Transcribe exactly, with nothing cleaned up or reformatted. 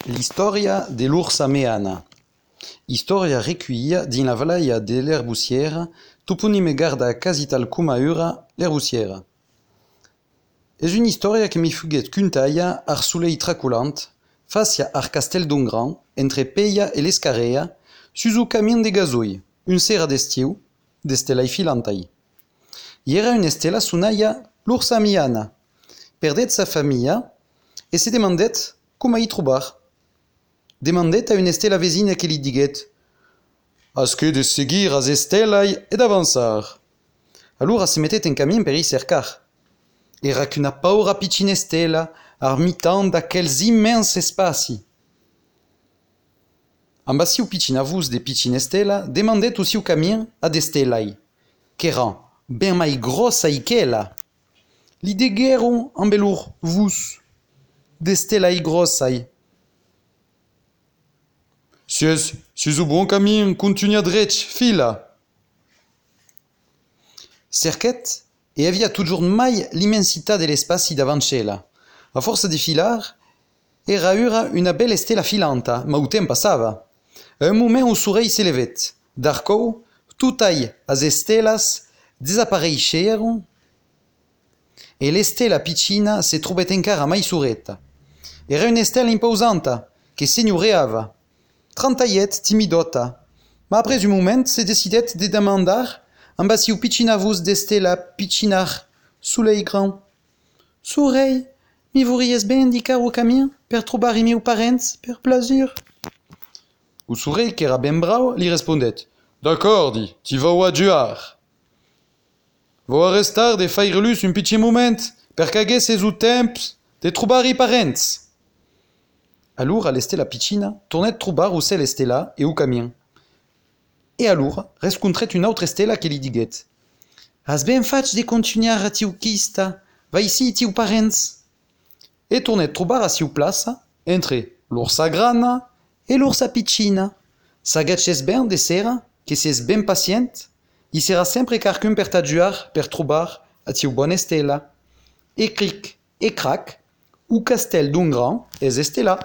L'historia dell'ursa meana. Historia recueillia din la valaia de l'herbussiera, toponime garda casital cumaura l'herbussiera. És una història que mi fuguet cuntaia ar soleil traculant, facia ar castel d'Ongran, entre Peia e l'Escarea, sus o camin de gazoi, un sera d'estiu, d'estelai filantai. I era una estela sunaia l'ursa meana. Perdet sa famiglia e se demandet com i trobar. Demandet a una estela vezina que li diguet «Has que de seguir as estelai e d'avançar». Allura se mettet en camin per i cercar. Era qu'una paura piccina estela ar mitan d'aquels immens espaci. Amb asiu piccina vus de piccina estela demandet usiu camin ad estelai, qu'eran ben mai grossai qu'ela. Li degueron amb elur vus d'estelai grossai. Sies, sies o bon camin, continua dretg, fila. Cerquet e havia toujours mai l'immensità de l'espaci davançela. A força de filar, era ura una bella estela filanta, ma o temps passava. A un moment o soleil s'elevet. D'arcou, tutai as estelas desapareixeron e l'estela piccina se trobet encara mai sureta. Era una estela imposanta, que senhoreava. Trantaiet timidota, ma après un moment se decidet de demandar amb asiu piccina vus d'estela piccinar soleil grand. Soleil, mi vories ben indicar o camin per trobar i meus parents per plaisir? O soleil, qu'era ben brau, li respondet «D'accord, di, ti vau adjuar. Vau a restar de fairelus un piccin moment per qu'aguesses o temps de trobar i parents». Allura l'estela piccina tornet trobar o cel estela e o camin. E allura rescontret una autra estela que li diguet «Has ben faig de continuar a tiu quista, va ici tiu parents». E tornet trobar a siu plaça entre l'ursa grana e l'ursa piccina. S'agatxes ben de sera, que ses ben pacient, i sera sempre carcun per t'adjuar per trobar a tiu bona estela. E cric e crac, o castel d'Ongran es estela.